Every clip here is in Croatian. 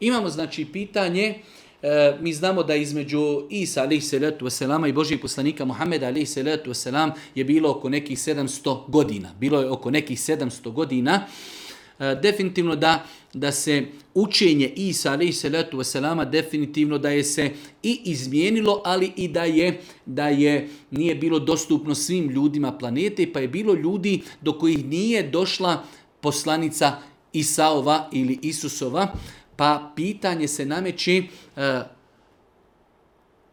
Imamo znači pitanje, mi znamo da između Isa alejhi salatu vesselama i Božjeg poslanika Muhameda alejhi salatu vesselam je bilo oko nekih 700 godina. Bilo je oko nekih 700 godina. Definitivno da se učenje Isa alejhi salatu vesselama definitivno da je se i izmijenilo, ali i da je nije bilo dostupno svim ljudima planete, pa je bilo ljudi do kojih nije došla poslanica Isaova ili Isusova, pa pitanje se nameće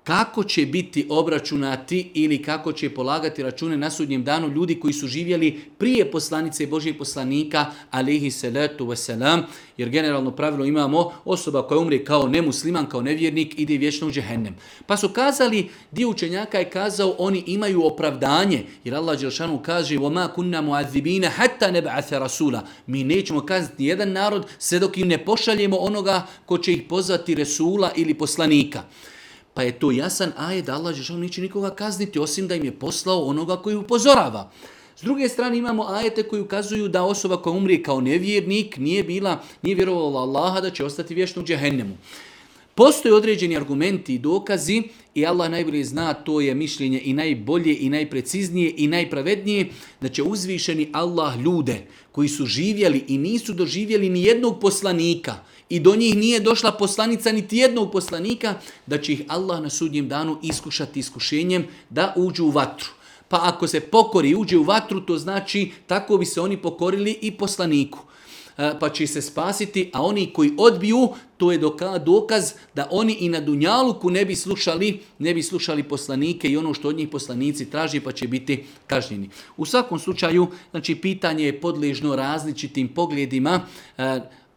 kako će biti obračunati ili kako će polagati račune na sudnjem danu ljudi koji su živjeli prije poslanice Božjeg poslanika alejhi salatu vesselam, jer generalno pravilo imamo osoba koja umre kao nemusliman, kao nevjernik, ide vječno u džehennem. Pa su kazali, dio učenjaka je kazao, oni imaju opravdanje, jer Allah dželešanu kaže وَمَا كُنَّا مُعَذِّبِينَ حَتَّى نَبْعَثَ رَسُولًا. Mi nećemo kazati jedan narod sve dok im ne pošaljemo onoga ko će ih pozvati Resula ili poslanika. Pa je to jasan ajet da Allah dželešanu neće nikoga kazniti osim da im je poslao onoga koji upozorava. S druge strane imamo ajete koji ukazuju da osoba koja umrije kao nevjernik nije vjerovala Allaha da će ostati vječno u džehennemu. Postoje određeni argumenti i dokazi i Allah najbolje zna, to je mišljenje i najbolje i najpreciznije i najpravednije, da će uzvišeni Allah ljude koji su živjeli i nisu doživjeli ni jednog poslanika i do njih nije došla poslanica niti jednog poslanika, da će ih Allah na sudnjem danu iskušati iskušenjem da uđu u vatru. Pa ako se pokori i uđe u vatru, to znači tako bi se oni pokorili i poslaniku. Pa će se spasiti, a oni koji odbiju, to je dokaz da oni i na dunjaluku ne bi slušali poslanike i ono što od njih poslanici traži, pa će biti kažnjeni. U svakom slučaju, znači pitanje je podležno različitim pogledima.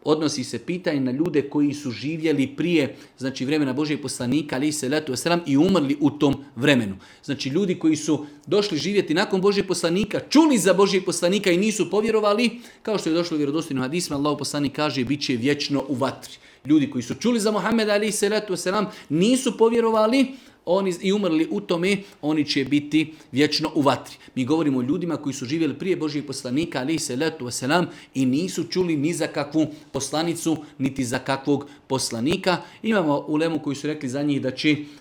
Odnosi se pitanje na ljude koji su živjeli prije, znači vremena Božjeg poslanika alejhi salatu vesselam i umrli u tom vremenu. Znači ljudi koji su došli živjeti nakon Božjeg poslanika, čuli za Božjeg poslanika i nisu povjerovali, kao što je došlo u vjerodostojnim hadisima, Allahov poslanik kaže bit će vječno u vatri. Ljudi koji su čuli za Muhameda alejhi salatu vesselam, nisu povjerovali, oni i umrli u tome, oni će biti vječno u vatri. Mi govorimo o ljudima koji su živjeli prije Božjeg poslanika alejhi salatu vesselam i nisu čuli ni za kakvu poslanicu, niti za kakvog poslanika. Imamo ulemu koji su rekli za njih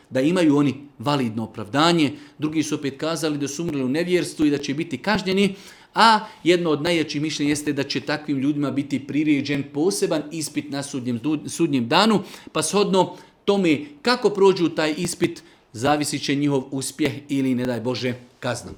da imaju oni validno opravdanje, drugi su opet kazali da su umrli u nevjerstvu i da će biti kažnjeni, a jedno od najjačih mišljenja jeste da će takvim ljudima biti priređen poseban ispit na sudnjem danu, pa shodno tome kako prođu taj ispit, zavisit će njihov uspjeh ili, ne daj Bože, kazna.